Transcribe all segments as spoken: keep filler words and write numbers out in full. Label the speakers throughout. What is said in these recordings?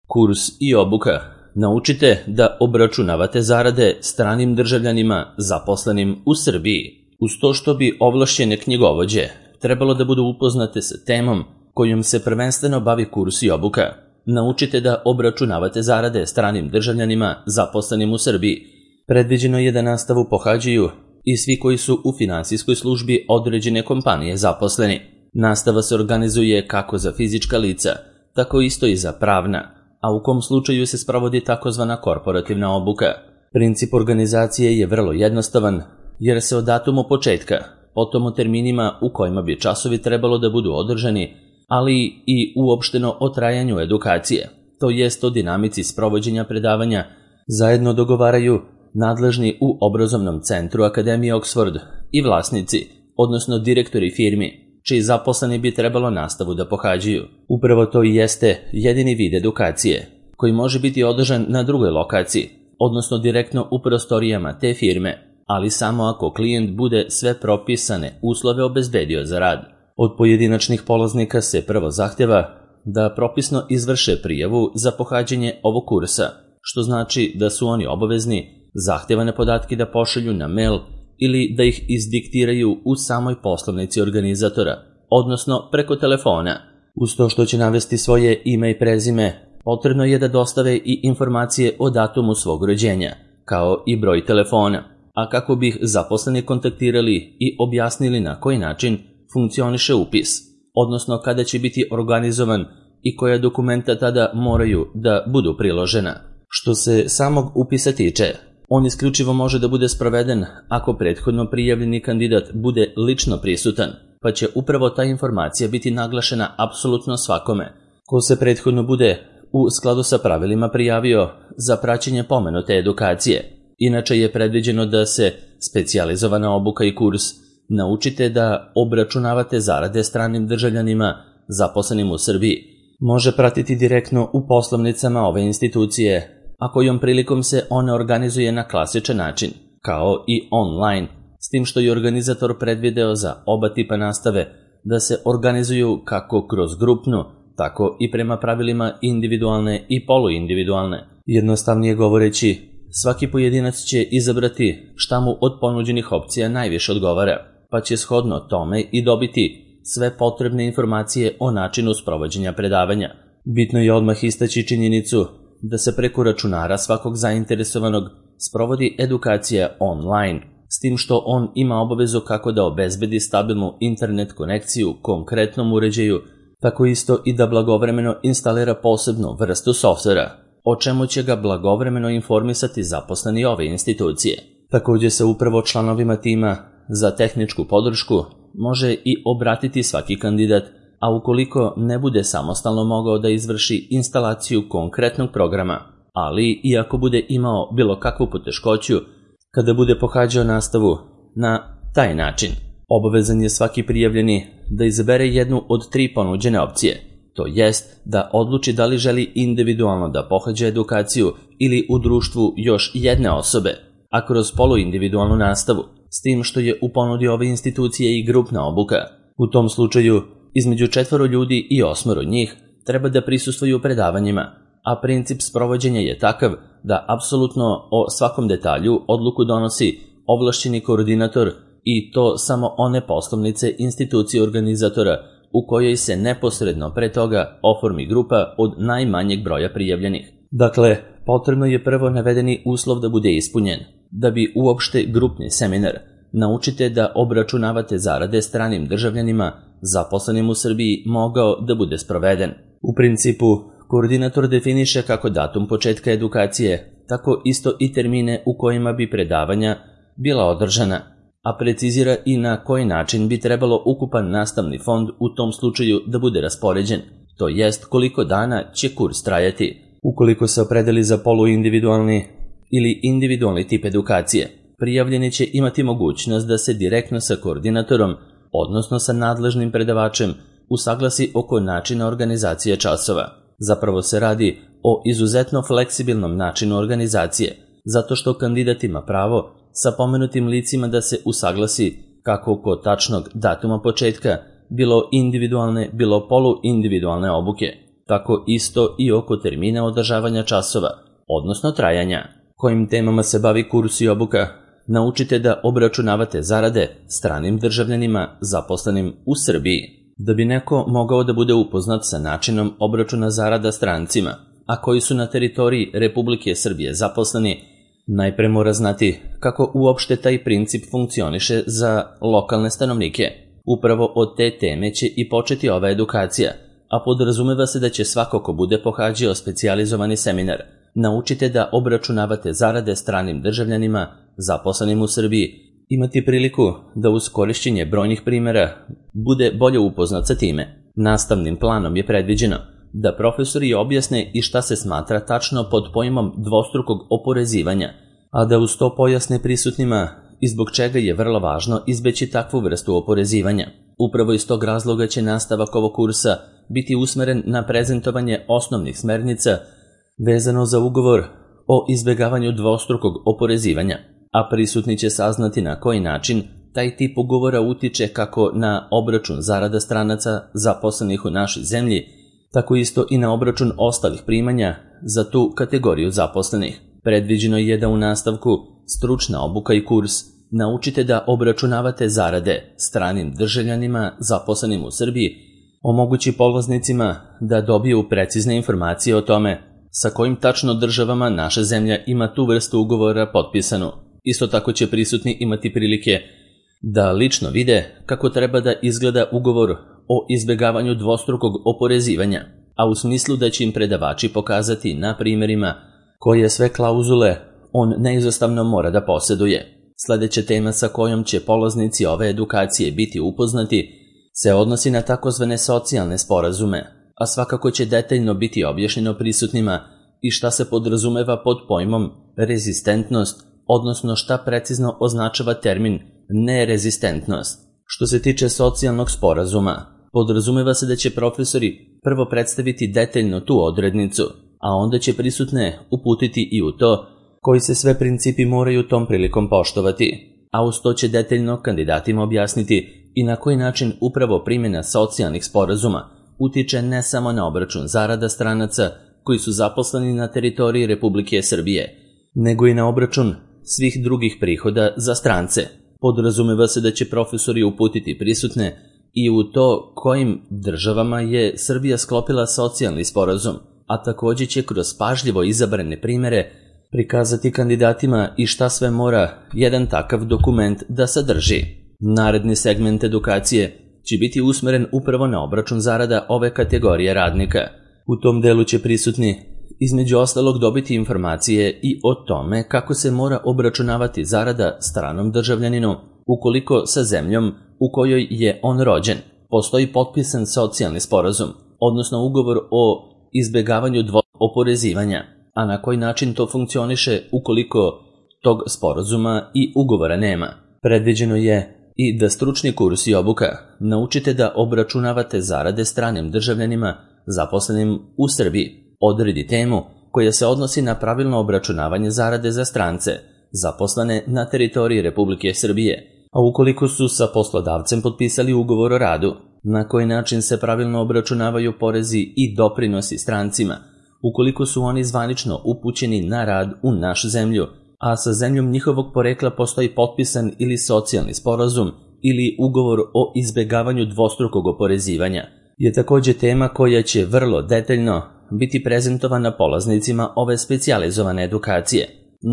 Speaker 1: Kurs i obuka. Naučite da obračunavate zarade stranim državljanima zaposlenim u Srbiji. Uz to što bi ovlašćene knjigovođe trebalo da budu upoznate sa temom kojom se prvenstveno bavi kurs i obuka. Naučite da obračunavate zarade stranim državljanima zaposlenim u Srbiji. Predviđeno je da nastavu pohađaju i svi koji su u finansijskoj službi određene kompanije zaposleni. Nastava se organizuje kako za fizička lica, tako isto i za pravna, a u kom slučaju se sprovodi takozvana korporativna obuka. Princip organizacije je vrlo jednostavan, jer se od datumu početka, potom o terminima u kojima bi časovi trebalo da budu održani, ali i uopšteno o trajanju edukacije, to jest o dinamici sprovođenja predavanja, zajedno dogovaraju nadležni u obrazovnom centru Akademije Oxford i vlasnici, odnosno direktori firmi, čiji zaposleni bi trebalo nastavu da pohađaju. Upravo to i jeste jedini vid edukacije, koji može biti održan na drugoj lokaciji, odnosno direktno u prostorijama te firme, ali samo ako klijent bude sve propisane uslove obezbedio za rad. Od pojedinačnih polaznika se prvo zahteva da propisno izvrše prijavu za pohađanje ovog kursa, što znači da su oni obavezni zahtevane podatke da pošalju na mail ili da ih izdiktiraju u samoj poslovnici organizatora, odnosno preko telefona. Uz to što će navesti svoje ime i prezime, potrebno je da dostave i informacije o datumu svog rođenja, kao i broj telefona, a kako bi ih zaposleni kontaktirali i objasnili na koji način funkcioniše upis, odnosno kada će biti organizovan i koja dokumenta tada moraju da budu priložena. Što se samog upisa tiče, on isključivo može da bude sproveden ako prethodno prijavljeni kandidat bude lično prisutan, pa će upravo ta informacija biti naglašena apsolutno svakome ko se prethodno bude u skladu sa pravilima prijavio za praćenje pomenute edukacije. Inače je predviđeno da se specijalizovana obuka i kurs Naučite da obračunavate zarade stranim državljanima zaposlenim u Srbiji može pratiti direktno u poslovnicama ove institucije, a kojom prilikom se ona organizuje na klasičan način, kao i online, s tim što je organizator predvideo za oba tipa nastave da se organizuju kako kroz grupnu, tako i prema pravilima individualne i poluindividualne. Jednostavnije govoreći, svaki pojedinac će izabrati šta mu od ponuđenih opcija najviše odgovara, pa će shodno tome i dobiti sve potrebne informacije o načinu sprovođenja predavanja. Bitno je odmah istaći činjenicu da se preko računara svakog zainteresovanog sprovodi edukacija online, s tim što on ima obavezu kako da obezbedi stabilnu internet konekciju konkretnom uređaju, tako isto i da blagovremeno instalira posebnu vrstu softvera, o čemu će ga blagovremeno informisati zaposleni ove institucije. Također se upravo članovima tima za tehničku podršku može i obratiti svaki kandidat, a ukoliko ne bude samostalno mogao da izvrši instalaciju konkretnog programa, ali i ako bude imao bilo kakvu poteškoću kada bude pohađao nastavu na taj način, obavezan je svaki prijavljeni da izabere jednu od tri ponuđene opcije, to jest da odluči da li želi individualno da pohađa edukaciju ili u društvu još jedne osobe, a kroz poluindividualnu nastavu, s tim što je u ponudi ove institucije i grupna obuka. U tom slučaju, između četvoro ljudi i osmoro njih treba da prisustvuju predavanjima, a princip sprovođenja je takav da apsolutno o svakom detalju odluku donosi ovlašćeni koordinator i to samo one poslovnice institucije organizatora u kojoj se neposredno pre toga oformi grupa od najmanjeg broja prijavljenih. Dakle, potrebno je prvo navedeni uslov da bude ispunjen. Da bi uopšte grupni seminar Naučite da obračunavate zarade stranim državljanima zaposlenim u Srbiji mogao da bude sproveden. U principu, koordinator definiše kako datum početka edukacije, tako isto i termine u kojima bi predavanja bila održana, a precizira i na koji način bi trebalo ukupan nastavni fond u tom slučaju da bude raspoređen, to jest koliko dana će kurs trajati. Ukoliko se opredeli za poluindividualni ili individualni tip edukacije, prijavljeni će imati mogućnost da se direktno sa koordinatorom, odnosno sa nadležnim predavačem, usaglasi oko načina organizacije časova. Zapravo se radi o izuzetno fleksibilnom načinu organizacije, zato što kandidat ima pravo sa pomenutim licima da se usaglasi kako kod tačnog datuma početka, bilo individualne, bilo poluindividualne obuke, tako isto i oko termina održavanja časova, odnosno trajanja. Kojim temama se bavi kurs i obuka? Naučite da obračunavate zarade stranim državljanima zaposlenim u Srbiji. Da bi neko mogao da bude upoznat sa načinom obračuna zarada strancima, a koji su na teritoriji Republike Srbije zaposleni, najpre mora znati kako uopšte taj princip funkcioniše za lokalne stanovnike. Upravo od te teme će i početi ova edukacija, a podrazumeva se da će svako ko bude pohađao specijalizovani seminar naučite da obračunavate zarade stranim državljanima zaposlenim u Srbiji, imati priliku da uz korišćenje brojnih primjera bude bolje upoznat sa time. Nastavnim planom je predviđeno da profesori objasne i šta se smatra tačno pod pojmom dvostrukog oporezivanja, a da uz to pojasne prisutnima i zbog čega je vrlo važno izbeći takvu vrstu oporezivanja. Upravo iz tog razloga će nastavak ovog kursa biti usmeren na prezentovanje osnovnih smernica vezano za ugovor o izbegavanju dvostrukog oporezivanja, a prisutni će saznati na koji način taj tip ugovora utiče kako na obračun zarada stranaca zaposlenih u našoj zemlji, tako isto i na obračun ostalih primanja za tu kategoriju zaposlenih. Predviđeno je da u nastavku stručna obuka i kurs naučite da obračunavate zarade stranim državljanima zaposlenim u Srbiji, omogući polaznicima da dobiju precizne informacije o tome sa kojim tačno državama naša zemlja ima tu vrstu ugovora potpisanu. Isto tako će prisutni imati prilike da lično vide kako treba da izgleda ugovor o izbegavanju dvostrukog oporezivanja, a u smislu da će im predavači pokazati na primjerima koje sve klauzule on neizostavno mora da posjeduje. Sledeća tema sa kojom će polaznici ove edukacije biti upoznati se odnosi na takozvane socijalne sporazume, a svakako će detaljno biti objašnjeno prisutnima i šta se podrazumeva pod pojmom rezistentnost, odnosno šta precizno označava termin nerezistentnost. Što se tiče socijalnog sporazuma, podrazumeva se da će profesori prvo predstaviti detaljno tu odrednicu, a onda će prisutne uputiti i u to koji se sve principi moraju tom prilikom poštovati, a uz to će detaljno kandidatima objasniti i na koji način upravo primjena socijalnih sporazuma utiče ne samo na obračun zarada stranaca koji su zaposleni na teritoriji Republike Srbije, nego i na obračun svih drugih prihoda za strance. Podrazumeva se da će profesori uputiti prisutne i u to kojim državama je Srbija sklopila socijalni sporazum, a također će kroz pažljivo izabrane primjere prikazati kandidatima i šta sve mora jedan takav dokument da sadrži. Naredni segment edukacije će biti usmeren upravo na obračun zarada ove kategorije radnika. U tom delu će prisutni između ostalog dobiti informacije i o tome kako se mora obračunavati zarada stranom državljaninu ukoliko sa zemljom u kojoj je on rođen postoji potpisan socijalni sporazum, odnosno ugovor o izbegavanju dvostrukog oporezivanja, a na koji način to funkcioniše ukoliko tog sporazuma i ugovora nema. Predviđeno je i da stručni kurs i obuka naučite da obračunavate zarade stranim državljanima zaposlenim u Srbiji. Odredi temu koja se odnosi na pravilno obračunavanje zarade za strance zaposlene na teritoriji Republike Srbije, a ukoliko su sa poslodavcem potpisali ugovor o radu, na koji način se pravilno obračunavaju porezi i doprinosi strancima, ukoliko su oni zvanično upućeni na rad u našu zemlju, a sa zemljom njihovog porekla postoji potpisan ili socijalni sporazum ili ugovor o izbegavanju dvostrukog oporezivanja, je također tema koja će vrlo detaljno biti prezentovana polaznicima ove specijalizovane edukacije.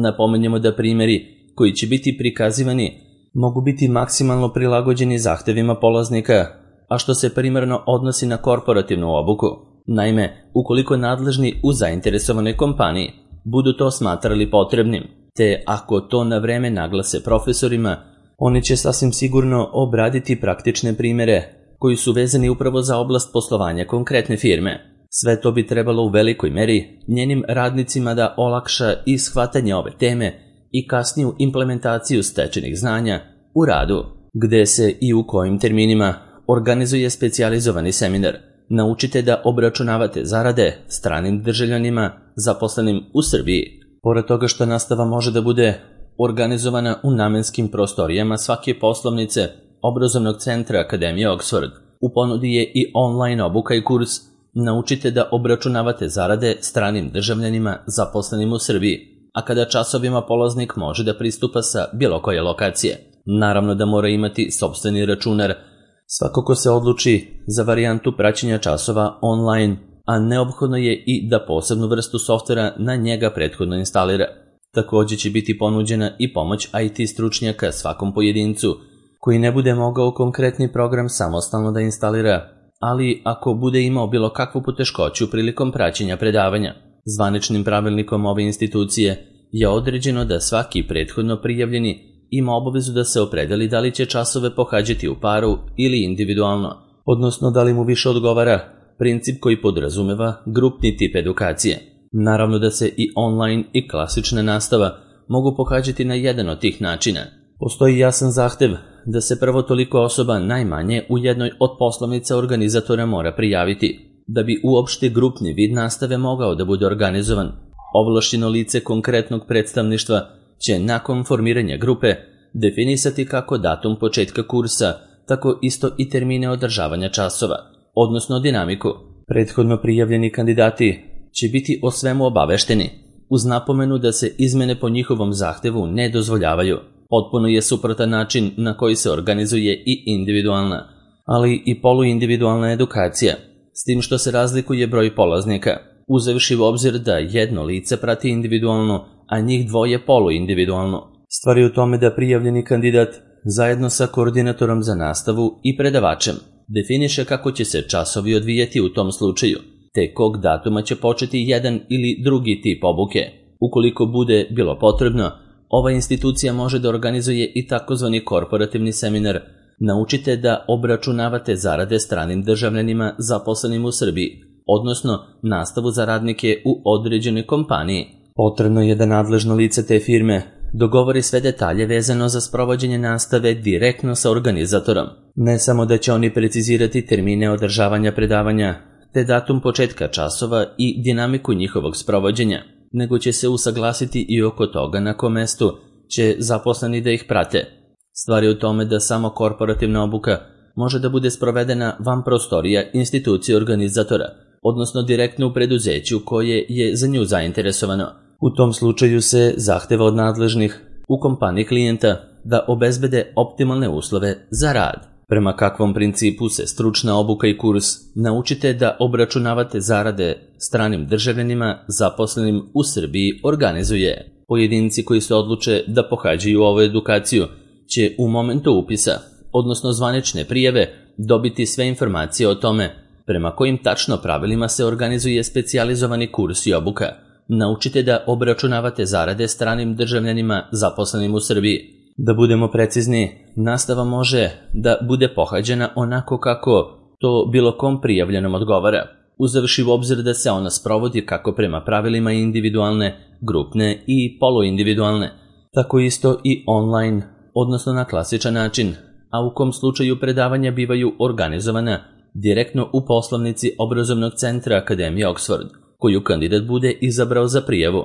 Speaker 1: Napomenjemo da primjeri koji će biti prikazivani mogu biti maksimalno prilagođeni zahtevima polaznika, a što se primarno odnosi na korporativnu obuku. Naime, ukoliko nadležni u zainteresovanoj kompaniji budu to smatrali potrebnim, te ako to na vreme naglase profesorima, oni će sasvim sigurno obraditi praktične primjere koji su vezani upravo za oblast poslovanja konkretne firme. Sve to bi trebalo u velikoj meri njenim radnicima da olakša i shvatanje ove teme i kasniju implementaciju stečenih znanja u radu, gde se i u kojim terminima organizuje specijalizovani seminar. Naučite da obračunavate zarade stranim državljanima zaposlenim u Srbiji. Pored toga što nastava može da bude organizovana u namenskim prostorijama svake poslovnice obrazovnog centra Akademije Oxford, u ponudi je i online obuka i kurs naučite da obračunavate zarade stranim državljanima zaposlenim u Srbiji, a kada časovima polaznik može da pristupa sa bilo koje lokacije. Naravno da mora imati sopstveni računar. Svako ko se odluči za varijantu praćenja časova online, a neophodno je i da posebnu vrstu softvera na njega prethodno instalira. Također će biti ponuđena i pomoć I T stručnjaka svakom pojedincu, koji ne bude mogao konkretni program samostalno da instalira, ali ako bude imao bilo kakvu poteškoću prilikom praćenja predavanja. Zvaničnim pravilnikom ove institucije je određeno da svaki prethodno prijavljeni ima obavezu da se opredeli da li će časove pohađati u paru ili individualno, odnosno da li mu više odgovara princip koji podrazumeva grupni tip edukacije. Naravno da se i online i klasična nastava mogu pohađati na jedan od tih načina. Postoji jasan zahtev da se prvo toliko osoba najmanje u jednoj od poslovnica organizatora mora prijaviti, da bi uopšte grupni vid nastave mogao da bude organizovan. Ovlašćeno lice konkretnog predstavništva će nakon formiranja grupe definisati kako datum početka kursa, tako isto i termine održavanja časova, odnosno dinamiku. Prethodno prijavljeni kandidati će biti o svemu obavešteni, uz napomenu da se izmene po njihovom zahtevu ne dozvoljavaju. Potpuno je suprotan način na koji se organizuje i individualna, ali i poluindividualna edukacija, s tim što se razlikuje broj polaznika, uzevši u obzir da jedno lice prati individualno, a njih dvoje poluindividualno. Stvar je u tome da prijavljeni kandidat zajedno sa koordinatorom za nastavu i predavačem definiše kako će se časovi odvijati u tom slučaju, te kog datuma će početi jedan ili drugi tip obuke. Ukoliko bude bilo potrebno, ova institucija može da organizuje i takozvani korporativni seminar Naučite da obračunavate zarade stranim državljanima zaposlenim u Srbiji, odnosno nastavu za radnike u određenoj kompaniji. Potrebno je da nadležno lice te firme dogovori sve detalje vezano za sprovođenje nastave direktno sa organizatorom. Ne samo da će oni precizirati termine održavanja predavanja, te datum početka časova i dinamiku njihovog sprovođenja, nego će se usaglasiti i oko toga na kom mestu će zaposleni da ih prate. Stvar je u tome da samo korporativna obuka može da bude sprovedena van prostorija institucije organizatora, odnosno direktno u preduzeću koje je za nju zainteresovano. U tom slučaju se zahteva od nadležnih u kompaniji klijenta da obezbede optimalne uslove za rad. Prema kakvom principu se stručna obuka i kurs Naučite da obračunavate zarade stranim državljanima zaposlenim u Srbiji organizuje. Pojedinci koji se odluče da pohađaju ovu edukaciju će u momentu upisa, odnosno zvanične prijave, dobiti sve informacije o tome prema kojim tačno pravilima se organizuje specijalizovani kurs i obuka. Naučite da obračunavate zarade stranim državljanima zaposlenim u Srbiji. Da budemo precizni, nastava može da bude pohađena onako kako to bilo kom prijavljenom odgovara, uzevši u obzir da se ona sprovodi kako prema pravilima individualne, grupne i poluindividualne, tako isto i online, odnosno na klasičan način, a u kom slučaju predavanja bivaju organizovana direktno u poslovnici obrazovnog centra Akademije Oxford, koju kandidat bude izabrao za prijavu.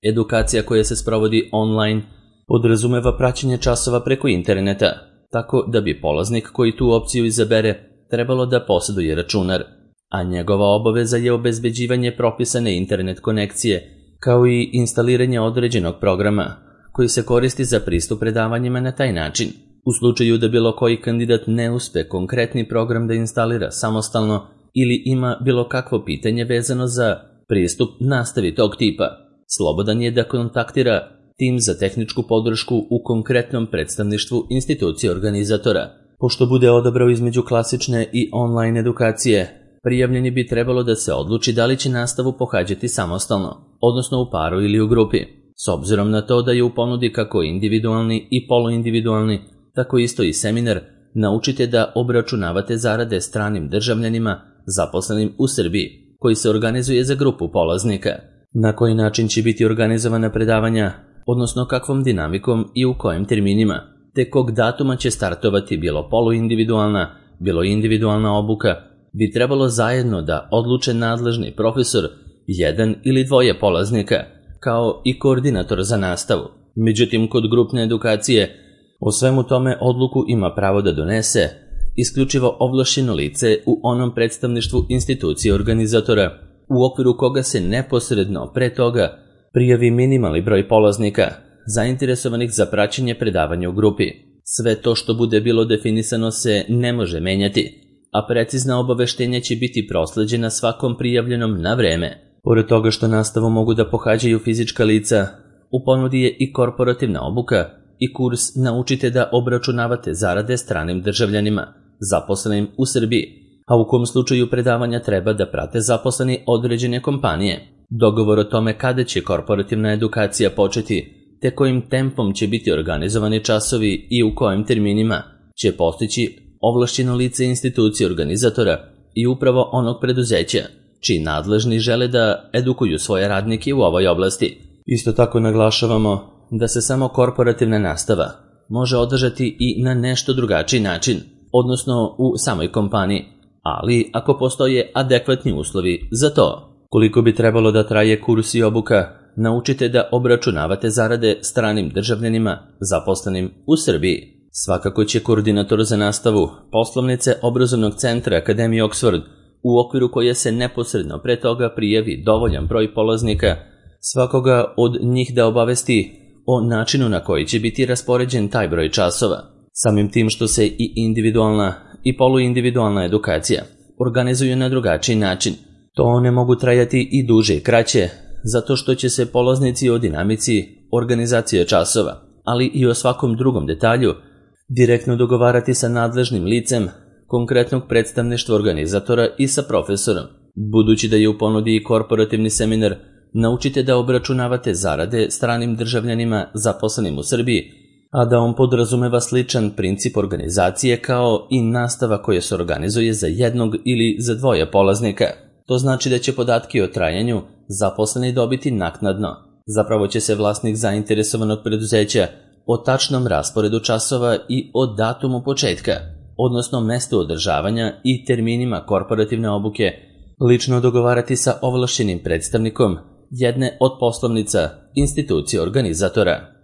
Speaker 1: Edukacija koja se sprovodi online podrazumeva praćenje časova preko interneta, tako da bi polaznik koji tu opciju izabere trebalo da posjeduje računar, a njegova obaveza je obezbeđivanje propisane internet konekcije, kao i instaliranje određenog programa koji se koristi za pristup predavanjima na taj način. U slučaju da bilo koji kandidat ne uspe konkretni program da instalira samostalno ili ima bilo kakvo pitanje vezano za pristup nastavi tog tipa, slobodan je da kontaktira tim za tehničku podršku u konkretnom predstavništvu institucije organizatora. Pošto bude odabrao između klasične i online edukacije, prijavljeni bi trebalo da se odluči da li će nastavu pohađati samostalno, odnosno u paru ili u grupi. S obzirom na to da je u ponudi kako individualni i poluindividualni, tako isto i seminar Naučite da obračunavate zarade stranim državljanima zaposlenim u Srbiji, koji se organizuje za grupu polaznika. Na koji način će biti organizovana predavanja, odnosno kakvom dinamikom i u kojim terminima, te kog datuma će startovati bilo poluindividualna, bilo individualna obuka, bi trebalo zajedno da odluče nadležni profesor, jedan ili dvoje polaznika, kao i koordinator za nastavu. Međutim, kod grupne edukacije o svemu tome odluku ima pravo da donese isključivo ovlašćeno lice u onom predstavništvu institucije organizatora, u okviru koga se neposredno pre toga prijavi minimalni broj polaznika, zainteresovanih za praćenje predavanja u grupi. Sve to što bude bilo definisano se ne može menjati, a precizna obaveštenja će biti prosleđena svakom prijavljenom na vreme. Pored toga što nastavu mogu da pohađaju fizička lica, u ponudi je i korporativna obuka i kurs Naučite da obračunavate zarade stranim državljanima, zaposlenim u Srbiji, a u kom slučaju predavanja treba da prate zaposleni određene kompanije. Dogovor o tome kada će korporativna edukacija početi, te kojim tempom će biti organizovani časovi i u kojim terminima, će postići ovlašćeno lice institucije organizatora i upravo onog preduzeća, čiji nadležni žele da edukuju svoje radnike u ovoj oblasti. Isto tako naglašavamo da se samo korporativna nastava može održati i na nešto drugačiji način, odnosno u samoj kompaniji, ali ako postoje adekvatni uslovi za to. Koliko bi trebalo da traje kurs i obuka, naučite da obračunavate zarade stranim državljanima zaposlenim u Srbiji. Svakako će koordinator za nastavu poslovnice obrazovnog centra Akademije Oxford, u okviru koje se neposredno pre toga prijavi dovoljan broj polaznika, svakoga od njih da obavesti o načinu na koji će biti raspoređen taj broj časova. Samim tim što se i individualna i poluindividualna edukacija organizuju na drugačiji način, to ne mogu trajati i duže i kraće, zato što će se polaznici o dinamici organizacije časova, ali i o svakom drugom detalju, direktno dogovarati sa nadležnim licem konkretnog predstavništva organizatora i sa profesorom. Budući da je u ponudi i korporativni seminar Naučite da obračunavate zarade stranim državljanima zaposlenim u Srbiji, a da on podrazumeva sličan princip organizacije kao i nastava koja se organizuje za jednog ili za dvoje polaznika. To znači da će podatke o trajanju zaposleni dobiti naknadno. Zapravo će se vlasnik zainteresovanog preduzeća o tačnom rasporedu časova i o datumu početka, odnosno mestu održavanja i terminima korporativne obuke, lično dogovarati sa ovlašćenim predstavnikom jedne od poslovnica institucije organizatora.